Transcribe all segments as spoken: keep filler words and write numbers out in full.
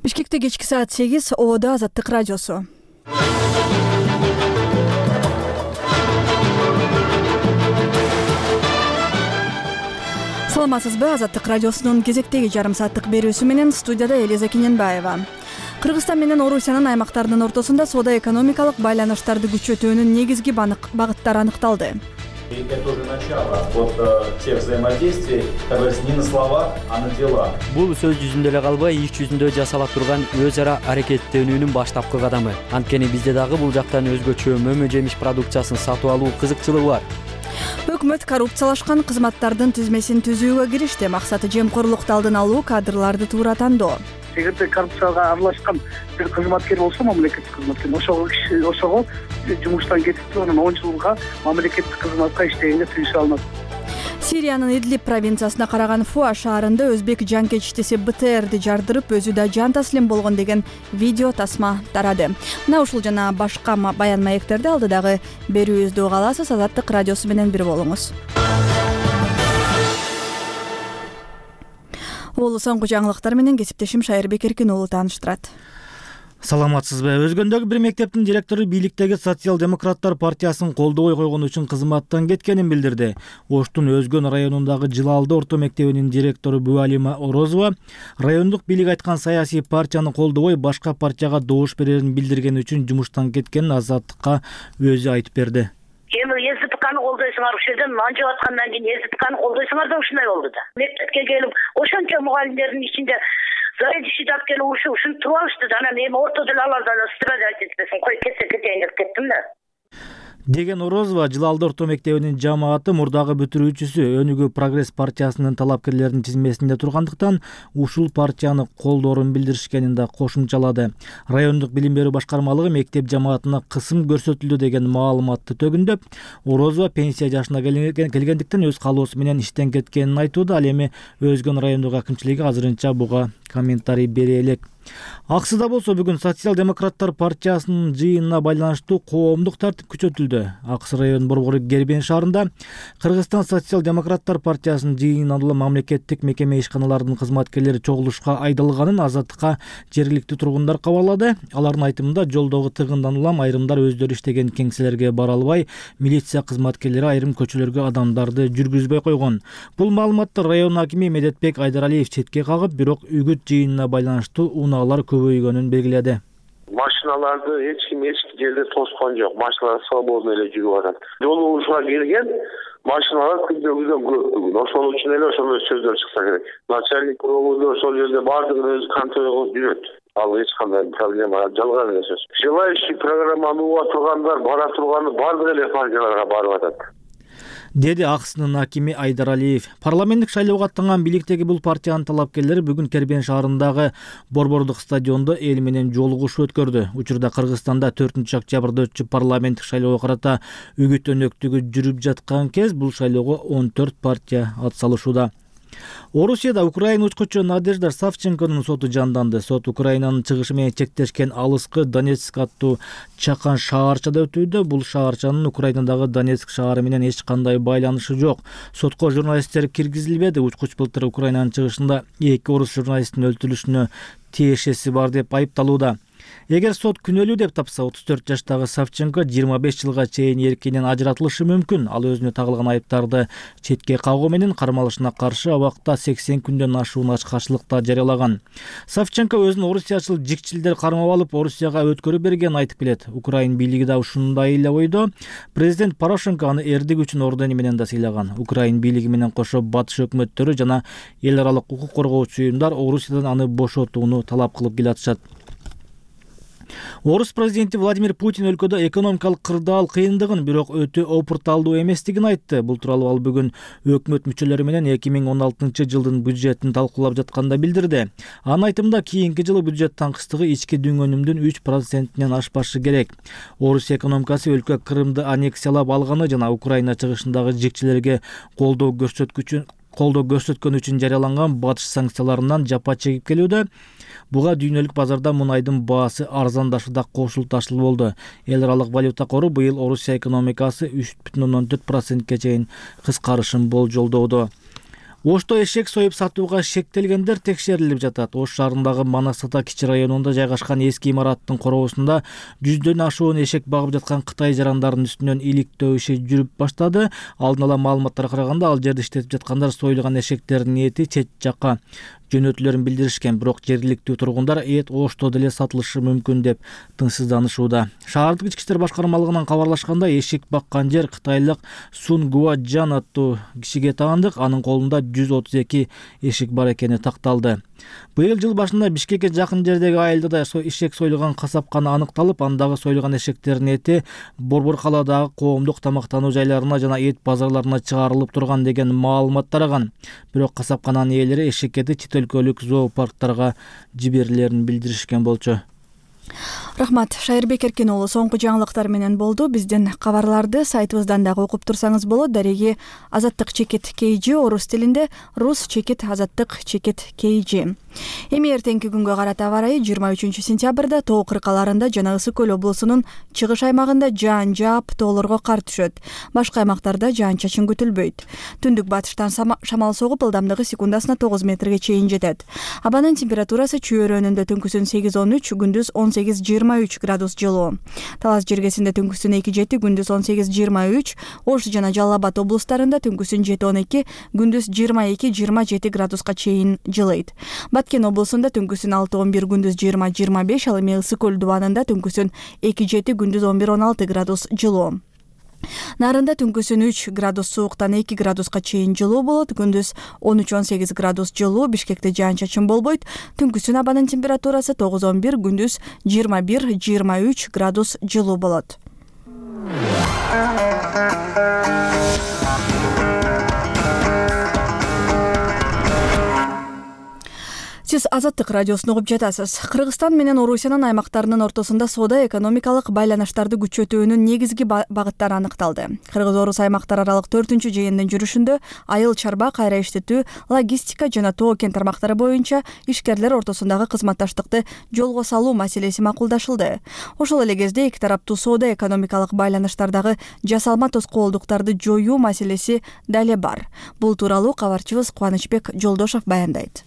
Бишкекте кечки саат сегиз, Ободо Азаттык радиосу. Саламатсызбы? Азаттык радиосунун кезектеги жарым сааттык берүүсү менен студияда Элиза Кененбаева. Кыргызстан менен Орусиянын аймактарынын ортосунда соода-экономикалык байланыштарды күчөтүүнүн негизги багыттары аныкталды. Это уже начало от тех взаимодействий, как говорится, не на словах, а на делах. Бул сөз жүзүндө эле калбай, иш жүзүндө жасала турган өз ара аракеттенүүнүн баштапкы кадамы. Анткени бизде дагы бул жактан өзгөчө мөмө жемиш продукциясын сатып алуу кызыкчылыгы бар. Өкмөт коррупциялашкан кызматтардын тизмесин түзүүгө киришти. Максаты жемкорлукту алдын алуу, кадрларды туура тандоо. Эгерде коррупцияга аралашкан бир кызматкер болсо, мамлекеттик кызматкер, ошого киши ошого жумуштан кетип, анан он жылга мамлекеттик кызматка иштегенге тийише алынат. Сириянын Идлиб провинциясына караган Фуа шаарында өзбек жанкечтиси бэ тэ эрди жардырып, өзү да жан таслим болгон деген видео тасма тарады. Мына ушул жана башка баян маектерди алдыдагы берүүбүздө уга аласыз. Азаттык радиосу менен бир болуңуз. Улуу соңку жаңылыктар менен кесиптешим Шайырбек Эркин уулу тааныштырат. Саламатсызбы? Өзгөндөгү бир мектептин директору бийликтеги Социал-демократтар партиясын колдобой койгон үчүн кызматтан кеткенин билдирди. Оштун Өзгөн районундагы Жылалды орто мектебинин директору Буалима Орозова райондук бийлик айткан саясий партияны колдобой башка партияга добуш берерин билдирген үчүн жумуштан кеткенин Азаттыкка өзү айтып берди. Эми ЭЗПКны колдойсуңар, ушул жерден манжып аткандан кийин ЭЗПКны колдойсуңар да ушундай болду да. Мектепке келип, ошончо мугалимдердин ичинде заведующий деп келип ушу ушинтип туруп алышты да. Анан эми ортодо эле алар да страдать этпесин, кой кетсе кетейин деп кеттим да. Деген Орозова Жылалды орто мектебинин жамааты мурдагы бүтүрүүчүсү Өнүгүү Прогресс партиясынын талапкерлеринин тизмесинде тургандыктан ушул партияны колдоорун билдиришкенин да кошумчалады. Райондук билим берүү башкармалыгы мектеп жамаатына кысым көрсөтүлдү деген маалыматты төгүндөп, Орозова пенсия жашына келгендиктен өз калоосу менен иштен кеткенин айтууда. Ал эми Өзгөн райондук акимчилиги азырынча буга комментарий бере элек. Аксыда болсо бүгүн Социал-демократтар партиясынын жыйынына байланыштуу коомдук тартип күчөтүлдү. Аксы район борбору Гербен шаарында Кыргызстан Социал-демократтар партиясынын жыйынынан мамлекеттик мекеме ишканаларынын кызматкерлери чогулушка айдалганын Азаттыкка жергиликтүү тургундар кабарлады. Алардын айтымында жолдогу тыгындан улам айрымдар өздөрү иштеген кеңселерге бара албай, милиция кызматкерлери айрым көчөлөргө адамдарды жүргүзбөй койгон. Бул маалыматты район акими Медетбек Айдаралиев четке кагып, бирок үгүт жыйынына байланыштуу унаалар көбөйгөнүн белгиледи. Машиналарды эч ким эч жерде тоскон жок. Машиналар свободно эле жүрүп атат. Жолугушууга келген машиналар күндө-күндөн көп бүгүн. Ошол үчүн эле ошондой сөздөр чыкса керек. Начальник өңүндө ошол жерде бардыгын өзү контроль кылып жүрөт. Ал эч кандай проблема жалган эле сөз. Желающий программаны уга тургандар бара турганы бардык эле партияларга барып атат, деди Аксынын акими Айдаралиев. Парламенттик шайлоого аттанган бийликтеги бул партиянын талапкерлери бүгүн Кербен шаарындагы борбордук стадиондо эл менен жолугушуу өткөрдү. Учурда Кыргызстанда төртүнчү октябрда өтчү парламенттик шайлоого карата үгүт өнөктүгү жүрүп жаткан кез бул шайлоого он төрт партия атсалышууда. Орусияда Украина учкучу Надежда Савченконун соту жанданды. Сот Украинанын чыгышы менен чектешкен алыскы Донецк аттуу чакан шаарчада өтүүдө. Бул шаарчанын Украинадагы Донецк шаары менен эч кандай байланышы жок. Сотко журналисттер киргизилбеди. Учкуч былтыр Украинанын чыгышында эки орус журналисттин өлтүрүлүшүнө тиешеси бар деп айыпталууда. Эгер сот күнөөлүү деп тапса, отуз төрт жаштагы Савченко жыйырма беш жылга чейин эркинен ажыратылышы мүмкүн. Ал өзүнө тагылган айыптарды четке кагуу менен кармалышына каршы абакта сексен күндөн ашуун ачкачылыкта жарыялаган. Савченко өзүн орусиячыл жикчилдер кармап алып, Орусияга өткөрүп бергенин айтып келет. Украин бийлиги да ушундай эле ойдо. Президент Порошенко аны эрдик үчүн ордени менен да сыйлаган. Украин бийлиги менен кошо батыш өкмөттөрү жана эл аралык укук коргоочу уюмдар Орусиядан аны бошотууну талап кылып келатышат. Орус президенти Владимир Путин өлкөдө экономикалык кырдаал кыйындыгын, бирок өтө опурталдуу эместигин айтты. Бул тууралуу ал бүгүн өкмөт мүчөлөрү менен эки миң он алтынчы жылдын бюджетин талкуулап жатканда билдирди. Анын айтымында кийинки жылы бюджет таңкыстыгы ички дүң өнүмдүн үч процентинен ашпашы керек. Орус экономикасы өлкө Крымды аннексиялап алганы жана Украина чыгышындагы жикчилерге колдоо көрсөткүчү колдоо көрсөткөн үчүн жарыяланган батыш санкцияларынан жапа чегип келүүдө. Буга дүйнөлүк базарда мунайдын баасы арзандашы да кошулташыл болду. Эл аралык валюта кору быйыл Орусия экономикасы үч бүтүн ондон төрт процентке чейин кыскарышын болжолдоодо. Ошто эшек союп сатууга шектелгендер текшерилип жатат. Ош шаарындагы Манас Ата кичи районунда жайгашкан эски имараттын короосунда жүздөн ашуун эшек багып жаткан Кытай жарандарынын үстүнөн иликтөө иши жүрүп баштады. Алдын ала маалыматтарга караганда ал жерде иштетип жаткандар союлган эшектердин эти чет жакка жөнөтүлөрүн билдиришкен, бирок жергиликтүү тургундар эт Ошто деле сатылышы мүмкүн деп тыңсызданышууда. Шаардык ички иштер башкармалыгынан кабарлашканда, эшек баккан жер кытайлык Сун Гуаджан аттуу кишиге таандык. Анын колунда жүз отуз эки эшек бар экени такталды. Быйыл жыл башында Бишкекке жакын жердеги айылда эшек союлган касапкана аныкталып, андагы союлган эшектердин эти Борбор калаадагы коомдук тамактануу жайларына жана эт базарларына чыгарылып турган деген маалымат тараган. Бирок касапкананын ээлери эшек эти чет өлкөлүк зоопарктарга жиберилерин билдиришкен болчу. Рахмат, Шайырбек Эркен уулу соңку жаңылыктар менен болду. Биздин кабарларды сайтыбыздан дагы окуп турсаңыз болот. Дареги Азаттык чекит кей жи орус тилинде, рус чекит азаттык чекит кей жи. Эми эртеңки күнгө карата аба ырайы жыйырма үчүнчү сентябрда Тоо кыркаларында жана Ысык көл облусунун чыгыш аймагында жаан жаап, тоолорго кар түшөт. Башка аймактарда жаан-чачын күтүлбөйт. Түндүк батыштан шамал согуп, ылдамдыгы секундасына тогуз метрге чейин жетет. Абанын температурасы чүйөрөнүндө түнкүсүн сегиз он үч, күндүз он сегиз жыйырма үч градус жылуу. Талас жергесинде түнкүсүн эки жети, күндүз он сегиз жыйырма үч, Ош жана Жалал Абад облустарында түнкүсүн жети он эки, күндүз жыйырма эки жыйырма жети градуска чейин жылыйт. Баткен облусунда түнкүсүн алты он бир, күндүз жыйырма жыйырма беш, ал эми Ысык көл дубанында түнкүсүн эки жети, күндүз он бир он алты градус жылуу. Нарында түнкүсүн үч градус сууктан эки градуска чейин жылуу болот, күндүз он үч он сегиз градус жылуу. Бишкекте жаан-чачын болбойт. Түнкүсүн абанын температурасы тогуз он бир, күндүз жыйырма бир жыйырма үч градус жылуу болот. Сиз Азаттык радиосун угуп жатасыз. Кыргызстан менен Орусиянын аймактарынын ортосунда соода экономикалык байланыштарды күчөтүүнүн негизги багыттары аныкталды. Кыргыз-Орус аймактар аралык төртүнчү жыйындын жүрүшүндө айыл чарба, кайра иштетүү, логистика жана тоо кен тармактары боюнча ишкерлер ортосундагы кызматташтыкты жолго салуу маселеси макулдашылды. Ошол эле кезде эки тараптуу соода экономикалык байланыштардагы жасалма тоскоолдуктарды жоюу маселеси дале бар. Бул тууралуу кабарчыбыз Кубанычбек Жолдошов баяндайт.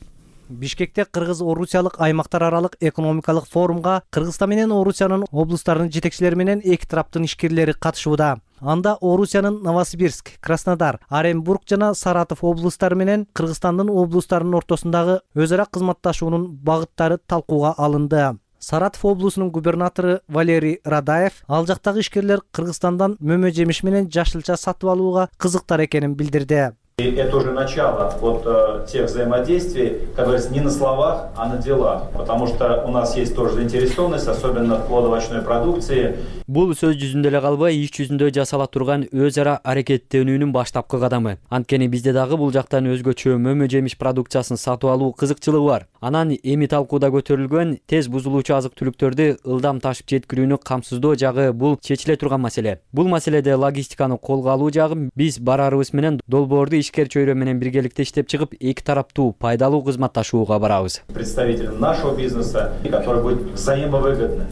Бишкекте Кыргыз-Орусиялык аймактар аралык экономикалык форумга Кыргызстан менен Орусиянын облустарынын жетекчилери менен эки тараптын ишкерлери катышууда. Анда Орусиянын Новосибирск, Краснодар, Оренбург жана Саратов облустары менен Кыргызстандын облустарынын ортосундагы өз ара кызматташуунун багыттары талкууга алынды. Саратов облусунун губернатору Валерий Радаев ал жактагы ишкерлер Кыргызстандан мөмө жемиш менен жашылча сатып алууга кызыктар экенин билдирди. И это уже начало вот э, тех взаимодействий, которые не на словах, а на делах. Потому что у нас есть тоже заинтересованность, особенно в плодовочной продукции. Бул сөз жүзүндө эле калбай, иш жүзүндө жасала турган өз ара аракеттенүүнүн баштапкы кадамы. Анткени бизде дагы бул жактан өзгөчө мөмө жемиш продукциясын сатып алуу кызыкчылыгы бар. Анан эми талкууда көтөрүлгөн тез бузулуучу азык түлүктөрдү ылдам ташып жеткирүүнү камсыздоо жагы бул чечиле турган маселе. Бул маселеде логистиканы колго алуу жагы биз барарыбыз менен долбоорду ишкер чөйрө менен биргеликте иштеп чыгып, эки тараптуу пайдалуу кызматташууга барабыз. Представителям нашего бизнеса, который будет взаимовыгодный.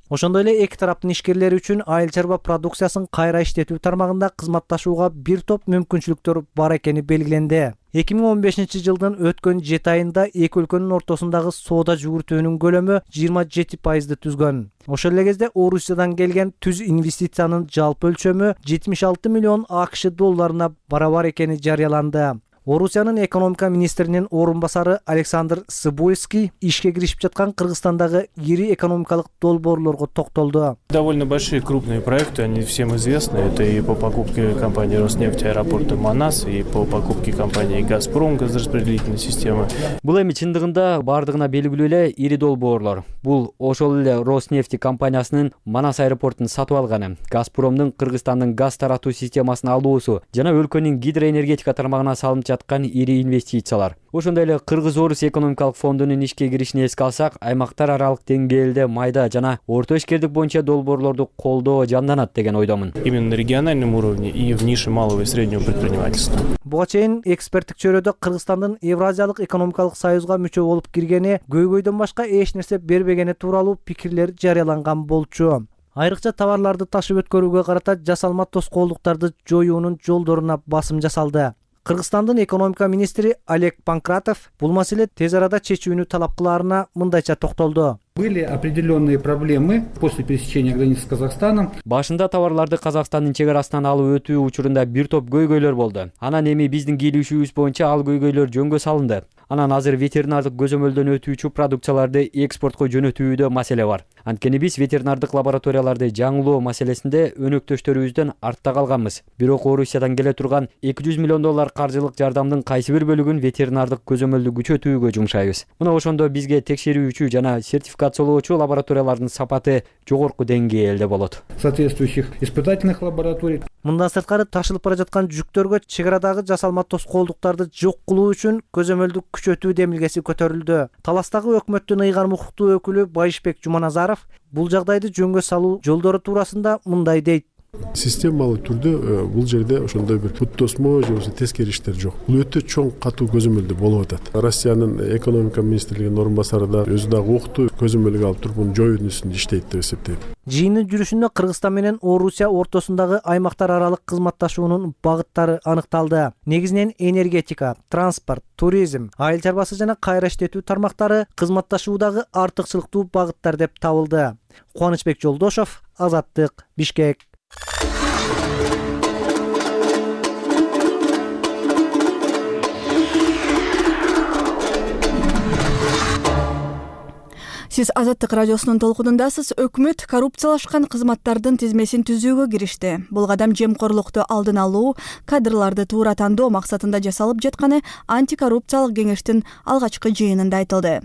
Ошондой эле эки тараптын ишкерлери үчүн айыл чарба продукциясын кайра иштетүү тармагында кызматташууга бир топ мүмкүнчүлүктөр бар экени белгиленди. эки миң он бешинчи жылдын өткөн жети айында эки өлкөнүн ортосундагы соода жүгүртүүнүн көлөмү жыйырма жети пайызды түзгөн. Ошол эле кезде Орусиядан келген түз инвестициянын жалпы өлчөмү жетимиш алты миллион АКШ долларына барабар экени жарыяланды. Орусиянын экономика министринин орун басары Александр Сыбойский ишке киришип жаткан Кыргызстандагы ири экономикалык долбоорлорго токтолду. Довольно большие крупные проекты, они всем известны. Это и по покупке компании Роснефть аэропорта Манас, и по покупке компании Газпром газораспределительной системы. Бул эми чындыгында бардыгына белгилүү эле ири долбоорлор. Бул ошол эле Роснефть компаниясынын Манас аэропортун сатып алганы, Газпромдун Кыргызстандын газ таратуу системасын алуусу жана өлкөнүн гидроэнергетика тармагына салынып жаткан ири инвестициялар. Ошондой эле Кыргыз-Орус экономикалык фондунун ишке киришин эске алсак, аймактар аралык деңгээлде майда жана орто ишкердик боюнча долбоорлорду колдоо жанданат деген ойдомун. Именно на региональном уровне и в нише малого и среднего предпринимательства. Буга чейин эксперттик чөйрөдө Кыргызстандын Евразиялык экономикалык союзга мүчө болуп киргени, көйгөйдөн башка эч нерсе бербегени тууралуу пикирлер жарыяланган болчу. Айрыкча товарларды ташып өткөрүүгө карата жасалма тоскоолдуктарды жоюунун жолдоруна басым жасалды. Кыргызстандын экономика министри Олег Панкратов бул маселе тез арада чечүүнү талап кылаарына мындайча токтолду. Были определенные проблемы после пересечения границы с Казахстаном. Башында товарларды Казакстандын чек арасынан алып өтүү учурунда бир топ көйгөйлөр болду. Анан эми биздин кийлишүүбүз боюнча ал көйгөйлөр жөнгө салынды. Анан азыр ветеринардык көзөмөлдөн өтүүчү продукцияларды экспортко жөнөтүүдө маселе бар. Анткени биз ветеринардык лабораторияларды жаңылоо маселесинде өнөктөштөрүбүздөн артта калганбыз. Бирок Орусиядан келе турган эки жүз миллион доллар каржылык жардамдын кайсы бир бөлүгүн ветеринардык көзөмөлдү күчөтүүгө жумшайбыз. Мына ошондо бизге текшерүүчү жана сертификациялоочу лабораториялардын сапаты жогорку деңгээлде болот. Соответствующих испытательных лабораторий. Мындан сырткары ташылып бара жаткан жүктөргө чек арадагы жасалма тоскоолдуктарды жок кылуу үчүн көзөмөлдү күчөтүү демилгеси көтөрүлдү. Таластагы өкмөттүн ыйгарым укуктуу өкүлү Байышбек Жуманазаров бул жагдайды жөнгө салуу жолдору туурасында мындай дейт. Системалуу түрдө бул жерде ошондой бир бут тосмо же болбосо тескери иштер жок. Бул өтө чоң катуу көзөмөлдө болуп атат. Россиянын экономика министрлигинин орун басары да өзү дагы укту көзөмөлгө алып туруп муну жоюунун үстүндө иштейт деп эсептейм. Жыйындын жүрүшүндө Кыргызстан менен Орусия ортосундагы аймактар аралык кызматташуунун багыттары аныкталды. Негизинен энергетика, транспорт, туризм, айыл чарбасы жана кайра иштетүү тармактары кызматташуудагы артыкчылыктуу багыттар деп табылды. Кубанычбек Жолдошов, Азаттык, Бишкек. Сиз Азаттык радиосунун толкунундасыз. Өкмөт коррупциялашкан кызматтардын тизмесин түзүүгө киришти. Бул кадам жемкорлукту алдын алуу, кадрларды туура тандоо максатында жасалып жатканы антикоррупциялык кеңештин алгачкы жыйынында айтылды.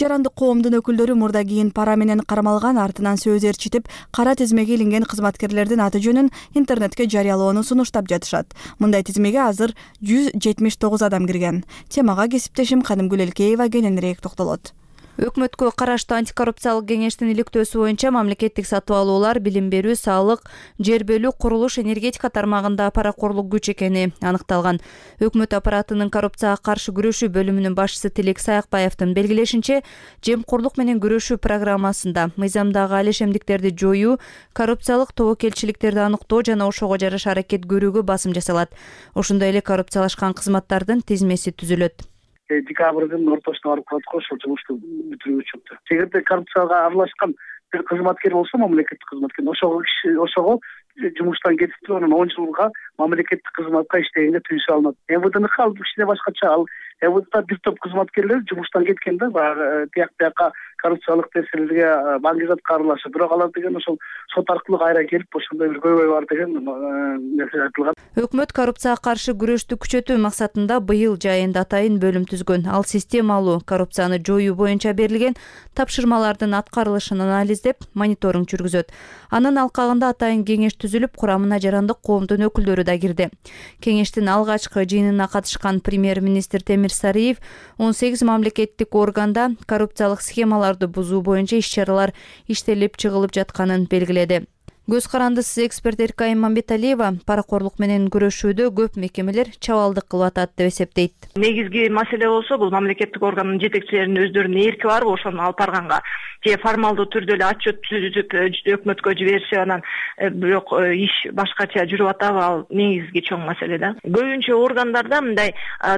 Жарандык коомдун өкүлдөрү мурда кийин пара менен кармалган, артынан сөз ээрчитип, кара тизмеге илинген кызматкерлердин аты жөнүн интернетке жарыялоону сунуштап жатышат. Мындай тизмеге азыр жүз жетимиш тогуз адам кирген. Темага кесиптешим Кадымгүл Элкеева кененирээк токтолот. Өкмөткө караштуу антикоррупциялык кеңештин иликтөөсү боюнча мамлекеттик сатып алуулар, билим берүү, саалык, жер бөлүү, курулуш, энергетика тармагында паракорлук күч экени аныкталган. Өкмөт аппаратынын коррупцияга каршы күрөшүү бөлүмүнүн башчысы Тилек Саякбаевдин белгилешинче, жемкорлук менен күрөшүү программасында мыйзамдагы алешемдиктерди жоюу, коррупциялык тобокелчиликтерди аныктоо жана ошого жараша аракет көрүүгө басым жасалат. Ошондой эле коррупциялашкан кызматтардын тизмеси түзүлөт. Декабрдын ортосуна барып калат го, ошол жумушту бүтүрүүгө чыкты. Эгерде коррупцияга аралашкан бир кызматкер болсо, мамлекеттик кызматкер, ошого ошого жумуштан кетип туруп, анан он жылга мамлекеттик кызматка иштегенге тыюу салынат. МВДныкы ал кичине башкача. Ал МВДда бир топ кызматкерлер жумуштан кеткен да, баягы тияк бияка коррупциялык нерселерге баңгизатка аралашып, бирок алар деген ошол сот аркылуу кайра келип, ошондой бир көйгөй бар деген нерсе айтылган. Өкмөт коррупцияга каршы күрөштү күчөтүү максатында быйыл жайында атайын бөлүм түзгөн. Ал системалуу коррупцияны жоюу боюнча берилген тапшырмалардын аткарылышын анализдеп, мониторинг жүргүзөт. Анын алкагында атайын кеңеш түзүлүп, курамына жарандык коомдун өкүлдөрү да кирди. Кеңештин алгачкы жыйынына катышкан премьер-министр Темир Сариев он сегиз мамлекеттик органда коррупциялык схемаларды бузуу боюнча иш-чаралар иштелип чыгылып жатканын белгиледи. Көз карандысыз эксперт Эркай Мамбеталиева паракорлук менен күрөшүүдө көп мекемелер чабалдык кылып атат деп эсептейт. Негизги маселе болсо, бул мамлекеттик органдын жетекчилеринин өздөрүнүн эрки барбы ошону алып барганга, же формалдуу түрдө эле отчет түзүп өкмөткө жиберишип, анан бирок иш башкача жүрүп атабы, ал негизги чоң маселе да. Көбүнчө органдарда мындай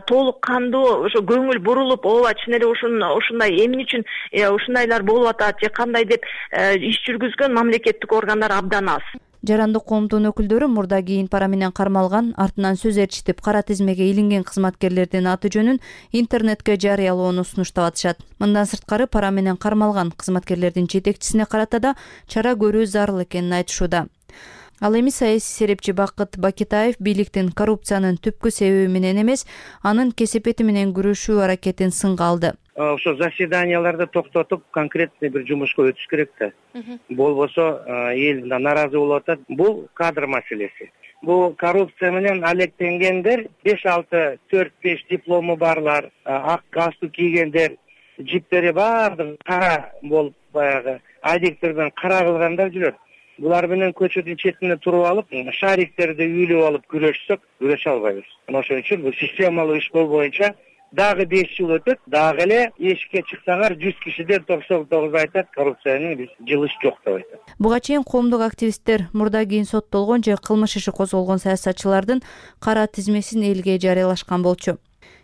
толук кандуу ошо көңүл бурулуп, ооба чын эле ушундай эмне үчүн ушундайлар болуп атат же кандай деп иш жүргүзгөн мамлекеттик органдар абдан аз. Жарандык коомдун өкүлдөрү мурда кийин пара менен кармалган, артынан сөз ээрчитип, кара тизмеге илинген кызматкерлердин аты жөнүн интернетке жарыялоону сунуштап атышат. Мындан сырткары пара менен кармалган кызматкерлердин жетекчисине карата да чара көрүү зарыл экенин айтышууда. Ал эми саясий серепчи Бакыт Бакитаев бийликтин коррупциянын түпкү себеби менен эмес, анын кесепети менен күрөшүү аракетин сынга алды. Ошо заседанияларды токтотуп, конкретный бир жумушка өтүш керек да. Болбосо эл наразы болуп атат. Бул кадр маселеси. Бул коррупция менен алектенгендер, беш алты төрт беш диплому барлар, ак галстук кийгендер, жиптери баардыгы кара болуп, баягы адиктерден кара кылгандар жүрөт. Булар менен көчөдүн четине туруп алып, шариктерди үйлөп алып күрөшсөк, күрөшө албайбыз. Ошон үчүн бул системалуу иш боюнча дагы беш жыл өтөт, дагы эле эшикке чыксаңар жүз кишиден токсон тогуз айтат коррупцияны биз жылыш жок деп айтат. Буга чейин коомдук активисттер мурда кийин соттолгон же кылмыш иши козголгон саясатчылардын кара тизмесин элге жарыялашкан болчу.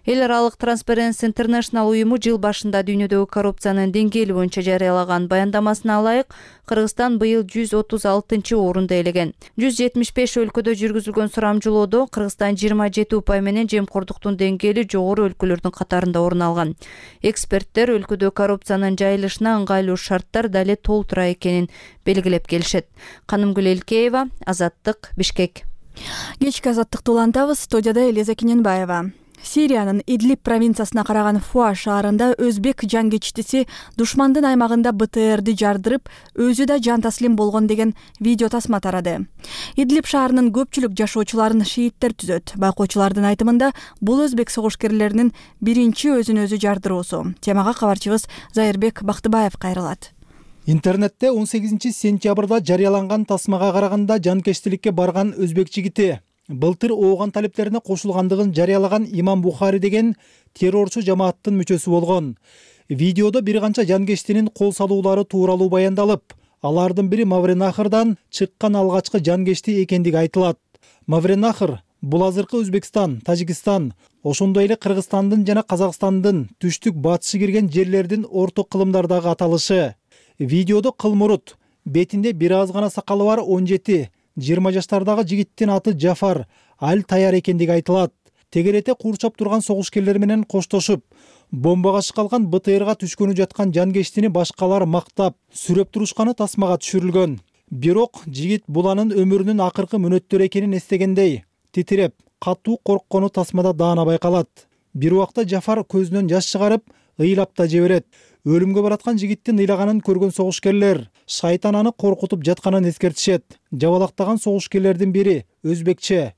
Эл аралык Transparency International уюму жыл башында дүйнөдөгү коррупциянын деңгээли боюнча жарыялаган баяндамасына ылайык Кыргызстан быйыл жүз отуз алтынчы орунду ээлеген. жүз жетимиш беш өлкөдө жүргүзүлгөн сурамжылоодо Кыргызстан жыйырма жети упай менен жемкордуктун деңгээли жогору өлкөлөрдүн катарында орун алган. Эксперттер өлкөдө коррупциянын жайылышына ыңгайлуу шарттар дале толтура экенин белгилеп келишет. Канымгүл Элкеева, Азаттык, Бишкек. Кечки азаттыкты улантабыз. Студияда Элиза Кененбаева. Сириянын Идлиб провинциясына караган Фуа шаарында өзбек жангечтиси душмандын аймагында Б Т Р'ди жардырып, өзү да жан таслим болгон деген видео тасма тарады. Идлиб шаарынын көпчүлүк жашоочуларын шииттер түзөт. Байкоочулардын айтымында бул өзбек согушкерлеринин биринчи өзүн өзү жардыруусу. Темага кабарчыбыз Зайырбек Бактыбаев кайрылат. Интернетте он сегизинчи сентябрда жарыяланган тасмага караганда жанкечтиликке барган өзбек жигити былтыр ооган талептерине кошулгандыгын жарыялаган Имам Бухари деген террорчу жамааттын мүчөсү болгон. Видеодо бир канча жанкечтинин кол салуулары тууралуу баяндалып, алардын бири Мавренахрдан чыккан алгачкы жанкечти экендиги айтылат. Мавренахр бул азыркы Өзбекстан, Тажикстан, ошондой эле Кыргызстандын жана Казакстандын түштүк батышы кирген жерлердин орто кылымдардагы аталышы. Видеодо кылмурут, бетинде бир аз гана сакалы бар он жети жыйырма жаштардагы жигиттин аты Жафар Аль-Таяр экендиги айтылат. Тегерете курчап турган согушкерлер менен коштошуп, бомбага чыккан Б Т Р'га түшкөнү жаткан жанкечтини башкалар мактап, сүрөп турушканы тасмага түшүрүлгөн. Бирок жигит буланын өмүрүнүн акыркы мүнөттөрү экенин эстегендей, титиреп, катуу корккону тасмада даана байкалат. Бир убакта Жафар көзүнөн жаш чыгарып, ыйлап да жиберет. Өлүмгө бараткан жигиттин ыйлаганын көргөн согушкерлер шайтан аны коркутуп жатканын эскертишет. Жабалактаган согушкерлердин бири өзбекче: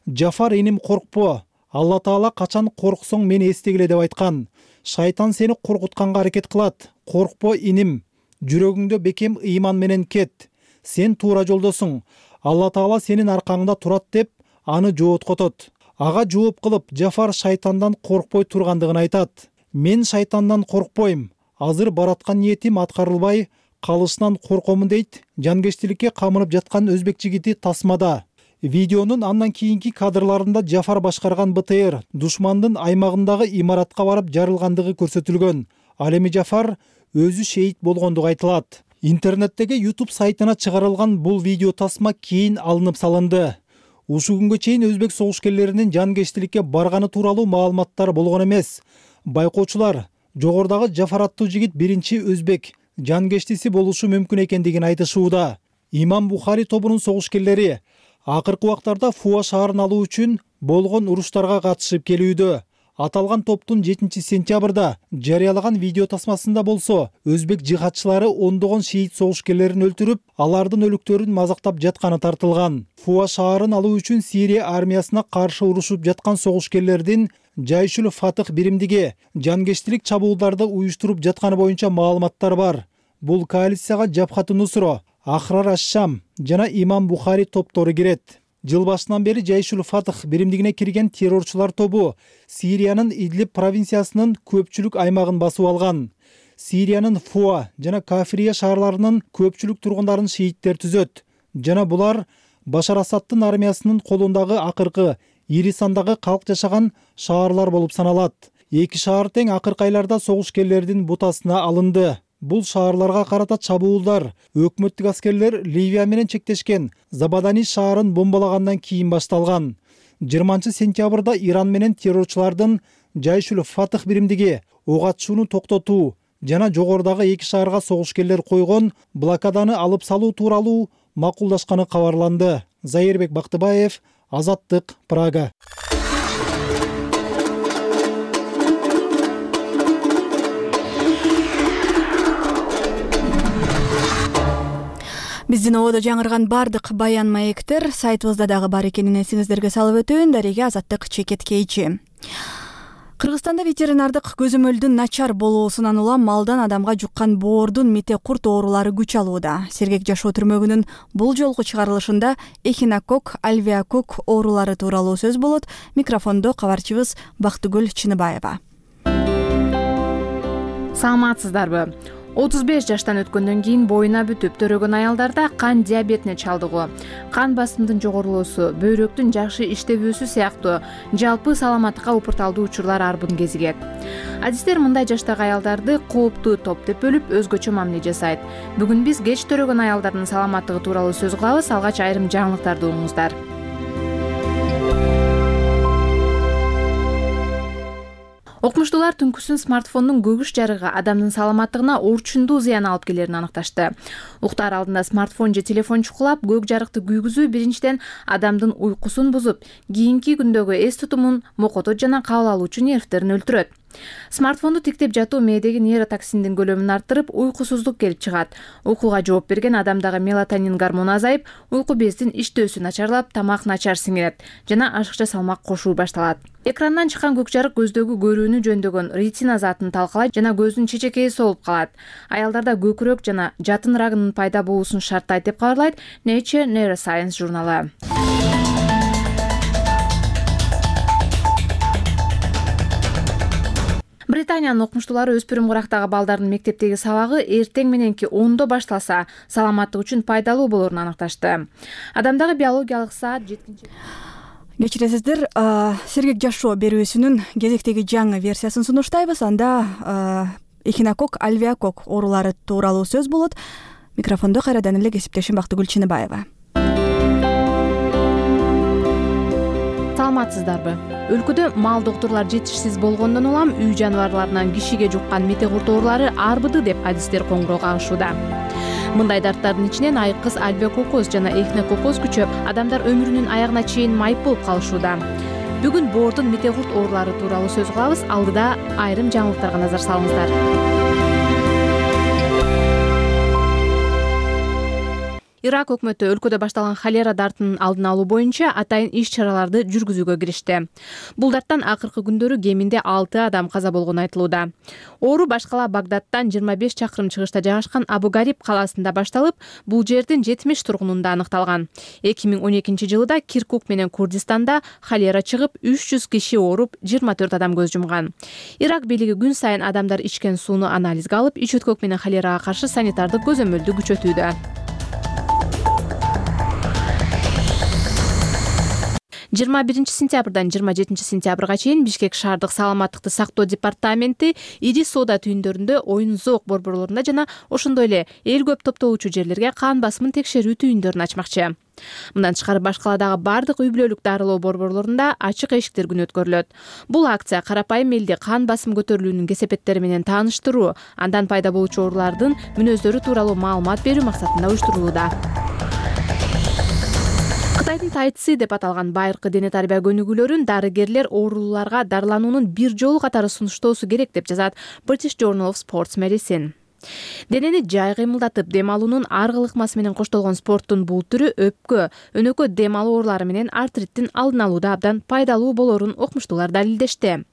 "Жафар, иним, коркпо. Алла Таала качан корксоң мени эстегиле" деп айткан. "Шайтан сени коркутканга аракет кылат. Коркпо, иним. Жүрөгүңдө бекем ыйман менен кет. Сен туура жолдосуң. Алла Таала сенин аркаңда турат" деп аны жооткотот. Ага жооп кылып, Жафар шайтандан коркпой тургандыгын айтат. "Мен шайтандан коркпойм. Азыр бараткан ниетим аткарылбай калышынан коркомун" дейт жанкечтиликке камынып жаткан өзбек жигити тасмада. Видеонун андан кийинки кадрларында Жафар башкарган Б Т Р душмандын аймагындагы имаратка барып жарылгандыгы көрсөтүлгөн. Ал эми Жафар өзү шейит болгондугу айтылат. Интернеттеги YouTube сайтына чыгарылган бул видео тасма кийин алынып салынды. Ушул күнгө чейин өзбек согушкерлеринин жанкечтиликке барганы тууралуу маалыматтар болгон эмес. Байкоочулар жогордагы Жафар аттуу жигит биринчи өзбек жанкечтиси болушу мүмкүн экендигин айтышууда. Имам Бухари тобунун согушкерлери акыркы убактарда Фуа шаарын алуу үчүн болгон уруштарга катышып келүүдө. Аталган топтун жетинчи сентябрда жарыялаган видео тасмасында болсо, өзбек жихадчылары ондогон шиит согушкерлерин өлтүрүп, алардын өлүктөрүн мазактап жатканы тартылган. Фуа шаарын алуу үчүн Сирия армиясына каршы урушуп жаткан согушкерлердин Жайшул Фатых биримдиги жанкечтилик чабуулдарды уюштуруп жатканы боюнча маалыматтар бар. Бул коалицияга Жабхат Нусро, Ахрар аш-Шам жана Имам Бухари топтору кирет. Жыл башынан бери Жайшул Фатых биримдигине кирген террорчулар тобу Сириянын Идлиб провинциясынын көпчүлүк аймагын басып алган. Сириянын Фуа жана Кафирия шаарларынын көпчүлүк тургундарын шииттер түзөт. Жана булар Башар Асадтын армиясынын колундагы акыркы ири сандагы калк жашаган шаарлар болуп саналат. Эки шаар тең акыркы айларда согушкерлердин бутасына алынды. Бул шаарларга карата чабуулдар өкмөттүк аскерлер Ливия менен чектешкен Забадани шаарын бомбалагандан кийин башталган. жыйырманчы сентябрда Иран менен террорчулардын Жайшул Фатых биримдиги ок атышууну токтотуу жана жогордагы эки шаарга согушкерлер койгон блокаданы алып салуу тууралуу макулдашканы кабарланды. Зайырбек Бактыбаев, Азаттык, Прага. Биздин ободо жаңырган бардык баян маектер сайтыбызда дагы бар экенин эсиңиздерге салып өтөйүн. Дареге Азаттык чекеткейчи. Кыргызстанда ветеринардык көзөмөлдүн начар болуусунан улам малдан адамга жуккан боордун мите курт оорулары күч алууда. Сергек жашоо түрмөгүнүн бул жолку чыгарылышында эхинокок, альвеокок оорулары тууралуу сөз болот. Микрофондо кабарчыбыз Бактыгүл Чыныбаева. Саламатсыздарбы? отуз беш жаштан өткөндөн кийин боюна бүтүп төрөгөн аялдарда кан диабетине чалдыгуу, кан басымдын жогорулоосу, бөйрөктүн жакшы иштебөөсү сыяктуу жалпы саламаттыкка упурталдуу учурлар арбын кезигет. Адистер мындай жаштагы аялдарды кооптуу топ деп бөлүп өзгөчө мамиле жасайт. Бүгүн биз кеч төрөгөн аялдардын саламаттыгы тууралуу сөз кылабыз. Алгач айрым жаңылыктарды угуңуздар. Окумуштуулар түнкүсүн смартфондун көгүш жарыгы адамдын саламаттыгына орчундуу зыян алып келерин аныкташты. Уктаар алдында смартфон же телефон чукулап, көк жарыкты күйгүзүү биринчиден адамдын уйкусун бузуп, кийинки күндөгү эс тутумун, мокотот жана кабыл алуучу нервтерин өлтүрөт. Смартфонду тиктеп жатуу мээдеги нейротоксиндин көлөмүн арттырып, уйкусуздук келип чыгат. Уйкуга жооп берген адамдагы мелатонин гормону азайып, уйку бездин иштөөсү начарлап, тамак начар сиңирет жана ашыкча салмак кошуу башталат. Экрандан чыккан көк жарык көздөгү көрүүнү жөндөгөн ретина затын талкалайт жана көздүн чечекеи солуп калат. Аялдарда көкүрөк жана жатын рагынын пайда болуусун шарттайт деп кабарлайт Nature Neuroscience журналы. Британиянын окумуштуулары өспүрүм курактагы балдардын мектептеги сабагы эртең мененки ондо башталса, саламаттык үчүн пайдалуу болорун аныкташты. Адамдагы биологиялык саат жеткинче Кечиресиздер, сергек жашоо берүүсүнүн кезектеги жаңы версиясын сунуштайбыз. Анда эхинококк, альвеококк оорулары тууралуу сөз болот. Микрофондо кайрадан эле кесиптешим Бактыгүл Чыныбаева. Саламатсыздарбы? Өлкөдө мал доктурлар жетишсиз болгондон улам үй жаныбарларынан кишиге жуккан метегурт оорулары арбыды деп адистер коңгуроо кагышууда. Мындай дарттардын ичинен айкыз, альвеококкоз жана эхинококкоз күчөп, адамдар өмүрүнүн аягына чейин майып болуп калышууда. Бүгүн боордун метегурт оорулары тууралуу сөз кылабыз. Алдыда айрым жаңылыктарга назар салыңыздар. Ирак өкмөтү өлкөдө башталган холера дартынын алдын алуу боюнча атайын иш-чараларды жүргүзүүгө киришти. Бул дарттан акыркы күндөрү кеминде алты адам каза болгону айтылууда. Оору башкала Багдадтан жыйырма беш чакырым чыгышта жайгашкан Абу-Гариб калаасында башталып, бул жердин жетимиш тургунунда аныкталган. эки миң он экинчи жылы да Киркук менен Курдистанда холера чыгып, үч жүз киши ооруп, жыйырма төрт адам көз жумган. Ирак бийлиги күн сайын адамдар ичкен сууну анализге алып, ич өткөк менен холерага каршы санитардык көзөмөлдү күчөтүүдө. жыйырма биринчи сентябрдан жыйырма жетинчи сентябрга чейин Бишкек шаардык саламаттыкты сактоо департаменти ири соода түйүндөрүндө, оюн зоок борборлорунда жана ошондой эле эл көп топтолуучу жерлерге кан басымын текшерүү түйүндөрүн ачмакчы. Мындан тышкары баш каладагы бардык үй бүлөлүк дарылоо борборлорунда ачык эшиктер күнү өткөрүлөт. Бул акция карапайым элди кан басым көтөрүлүүнүн кесепеттери менен тааныштыруу, андан пайда болуучу оорулардын мүнөздөрү тууралуу маалымат берүү максатында уюштурулууда. Кытайдын тайцзи деп аталган байыркы дене тарбия көнүгүүлөрүн дарыгерлер оорулууларга дарылануунун бир жолу катары сунуштоосу керек деп жазат British Journal of Sports Medicine. Денени жай кыймылдатып, дем алуунун аргы ыкмасы менен коштолгон спорттун бул түрү өпкө, өнөкө дем алуу оорулары менен артриттин алдын алууда абдан пайдалуу болорун окумуштуулар далилдешти.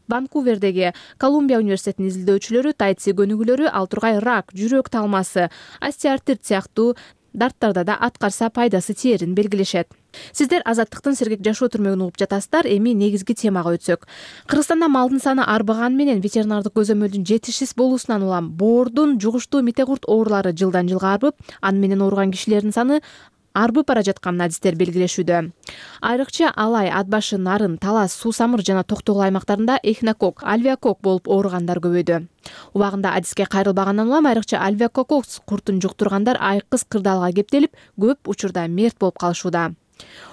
Ванкувердеги Колумбия университетинин изилдөөчүлөрү тайцзи көнүгүүлөрү ал тургай рак, жүрөк талмасы, остеоартрит сыяктуу дарттарда да аткарса пайдасы тиерин белгилешет. Сиздер Азаттыктын сергек жашоо түрмөгүн угуп жатасыздар. Эми негизги темага өтсөк. Кыргызстанда малдын саны арбаганы менен ветеринардык көзөмөлдүн жетишсиз болуусунан улам боордун жугуштуу метегурт оорулары жылдан жылга арбып, аны менен ооруган кишилердин саны арбып бара жатканын адистер белгилешүүдө. Айрыкча Алай, Ат башы, Нарын, Талас, Суу самыр жана Токтогул аймактарында эхинококк, альвеококк болуп ооругандар көбөйдү. Убагында адиске кайрылбагандан улам айрыкча альвеококк куртун жуктургандар айкыз кырдаалга кептелип, көп учурда мерт болуп калышууда.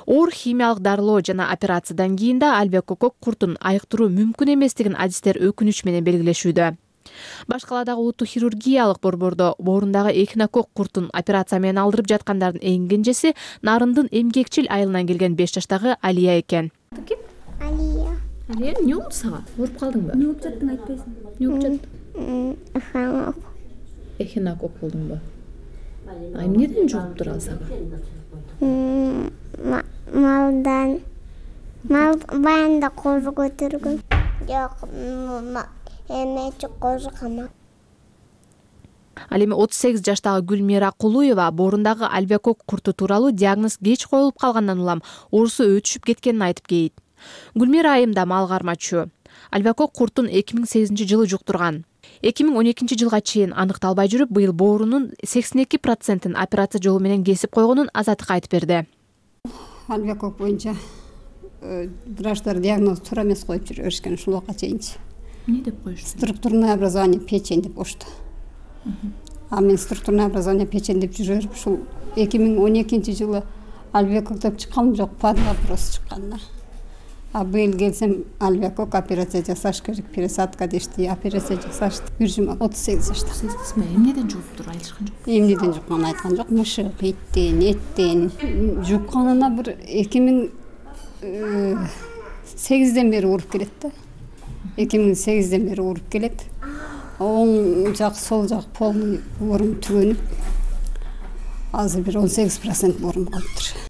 Оор химиялык дарылоо жана операциядан кийин да альвеококк куртун айыктыруу мүмкүн эместигин адистер өкүнүч менен белгилешүүдө. Баш каладагы улуттук хирургиялык борбордо боорундагы эхинококк куртун операция менен алдырып жаткандардын эң кенжеси Нарындын эмгекчил айылынан келген беш жаштагы Алия экен. Алия. Алия, эмне болду сага? Ооруп калдыңбы? Эмне болуп жаттың айтпайсың? Эмне болуп жатты? Эхинококк. Эхинококк болдуңбу? А эмнеден жугуп турат сага? Малдан. Мал баянда кожу көтөргөн. Жок, эмечи кожу камак. Ал эми отуз сегиз жаштагы Гүлмира Кулуева боорундагы альвеококк курту тууралуу диагноз кеч коюлуп калгандан улам оорусу өтүшүп кеткенин айтып кейт. Гүлмира айымда мал кармачу. альвеокок куртун эки миң сегизинчи жылы жуктурган. эки миң он экинчи жылга чейин аныкталбай жүрүп, быйыл боорунун сексен эки процентин операция жолу менен кесип койгонун Азаттыкка айтып берди. Альвеокок боюнча врачтар диагноз туура эмес коюп жүрө беришкен ушул убакка чейинчи. Эмне деп коюшту? Структурное образование печень деп коюшту. А мен структурное образование печень деп жүрө берип ушул эки миң он экинчи жылы альвеокок деп чыкканым жок, падла просто чыккан да. А быйыл келсем альвеокок операция жасаш керек, пересадка дешти, операция жасашты. Бир жума отуз сегиз жашта. Эмнеден жуктур айтышкан жок? Эмнеден жукканын айткан жок, мышык, иттен, эттен. Жукканына бир эки миң сегизден бери уруп келет да. эки миң сегизден бери уруп келет. Оң жак, сол жак полный боорум түгөнүп, азыр бир он сегиз процент боорум калыптыр.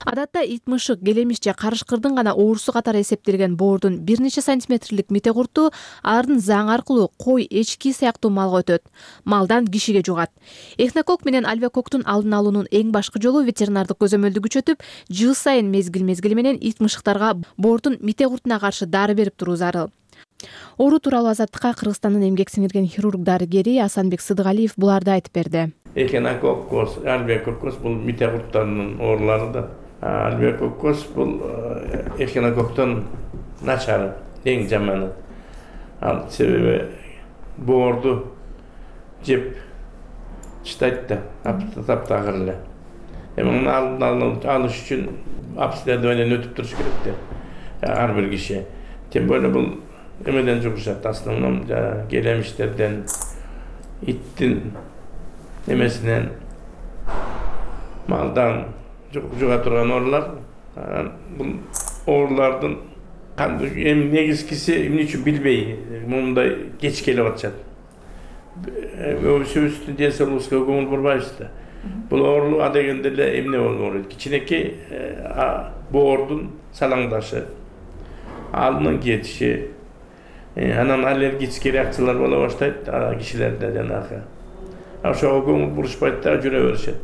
Адатта ит мышык, келемиш же карышкырдын гана оорусу катары эсептелген боордун бир нече сантиметрлик метеқурту ардын заң аркылуу кой, эчки сыяктуу малга өтөт. Малдан кишиге жугат. Эхнокок менен альвеококтун алдын алуунун эң башкы жолу ветеринардык көзөмөлдү күчөтүп, жыл сайын мезгил-мезгили менен ит мышыктарга боордун метеқуртуна каршы дары берип туруу зарыл. Оору тууралуу Азаттыкка Кыргызстандын эмгек сиңирген хирург-дарыгери Асанбек Сыдыгалиев буларды айтып берди. Эхнококкоз, альвеококкоз бул метеқурттарынын оорулары да. Альвеококкоз бул эхнококтон начары, эң жаманы. Ал себеби боорду жеп чытайт да, таптагыр эле. Эми алдын алыш үчүн обследованиеден өтүп туруш керек да. Ар бир киши. Тем более бул эмеден жугушат, основном келемиштерден, иттин эмесинен, малдан жуга турган оорулар. Бул оорулардын эми негизгиси эмне үчүн билбей, мындай кеч келип атышат. Өзүбүздүн ден соолугубузга көңүл бурбайбыз да. Бул оору адегенде эле эмне болот? Кичинекей боордун салаңдашы, алдын кетиши, анан аллергический реакциялар боло баштайт кишилерде жанагы. Ошого көңүл бурушпайт да, жүрө беришет.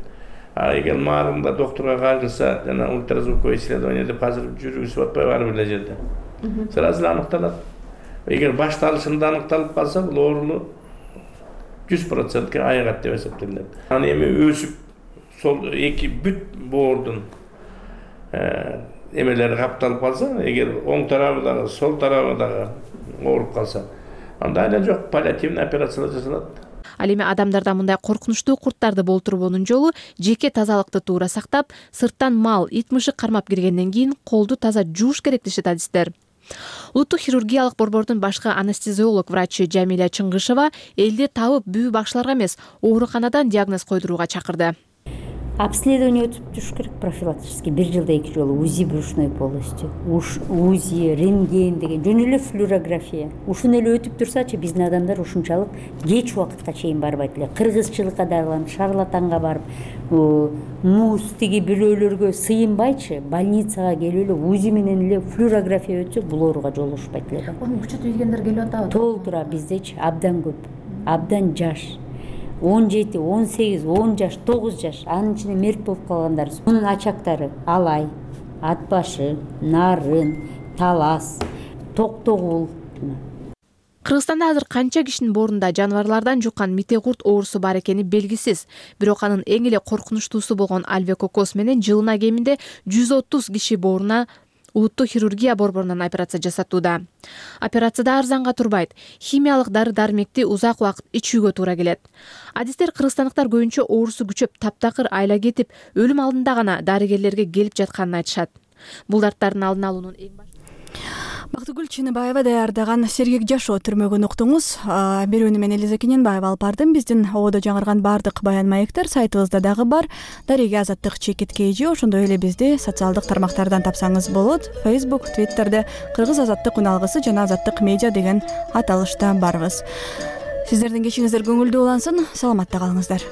А эгер маарында доктурга кайрылса, жана ультразвуковое исследование деп азыр жүргүзүп атпайбы ар бир жерде. Сразу аныкталат. Эгер башталышында аныкталып калса, бул оорunu жүз процентке айыгат деп эсептелет. Анан эми өсүп, сол эки бүт боордун эмелери капталып калса, эгер оң тарабы дагы, сол тарабы дагы ооруп калса, анда эле жок, паллиативный операциялар жасалат. Ал эми адамдарда мындай коркунучтуу курттарды болтурбоонун жолу жеке тазалыкты туура сактап, сырттан мал, ит мышык кармап киргенден кийин колду таза жууш керек дешет адистер. Улуттук хирургиялык борбордун башкы анестезиолог врачы Жамиля Чыңгышева элди табып бүгү бакчыларга эмес, ооруканадан диагноз койдурууга чакырды. Обследование өтүп туруш керек профилактический. Бир жылда эки жолу УЗИ брюшной полости, УЗИ, рентген деген, жөн эле флюорография. Ушуну эле өтүп турсачы биздин адамдар ушунчалык кеч убакытка чейин барбайт эле. Кыргызчылыкка дарыланып, шарлатанга барып, муз тиги бирөөлөргө сыйынбайчы, больницага келип эле УЗИ менен эле флюорография өтсө, бул оорууга жолугушпайт эле. Муну күчөтүп ийгендер келип атабы? Толтура биздечи абдан көп, абдан жаш. он жети, он сегиз, он жаш, тогуз жаш, анын ичинде мерт болуп калгандар. Мунун ачактары алай, ат башы, нарын, талас, токтогул. Кыргызстанда азыр канча кишинин боорунда жаныбарлардан жуккан метеқурт оорусу бар экени белгисиз. Бирок анын эң эле коркунучтуусу болгон альвеококкоз менен жылына кеминде жүз отуз киши бооруна улуттук хирургия борборунан операция жасатууда. Операцияда арзанга турбайт. Химиялык дары-дармекти узак убакыт ичүүгө туура келет. Адистер кыргызстандыктар көбүнчө оорусу күчөп, таптакыр айла кетип, өлүм алдында гана дарыгерлерге келип жатканын айтышат. Бул дарттардын алдын алуунун эң башкы Бактыгүл Чыныбаева даярдаган Сергек жашоо түрмөгүн уктуңуз. Берүүнү мен Элиза Кененбаева алып бардым. Биздин ободо жаңырган бардык баян маектер сайтыбызда дагы бар. Дарыга Азаттык Чекит Кейжи, ошондой эле бизди социалдык тармактардан тапсаңыз болот. Facebook, Twitterде Кыргыз Азаттык үналгысы жана Азаттык медиа деген аталышта барбыз. Сиздердин кечиңиздер көңүлдүү улансын. Саламатта калыңыздар.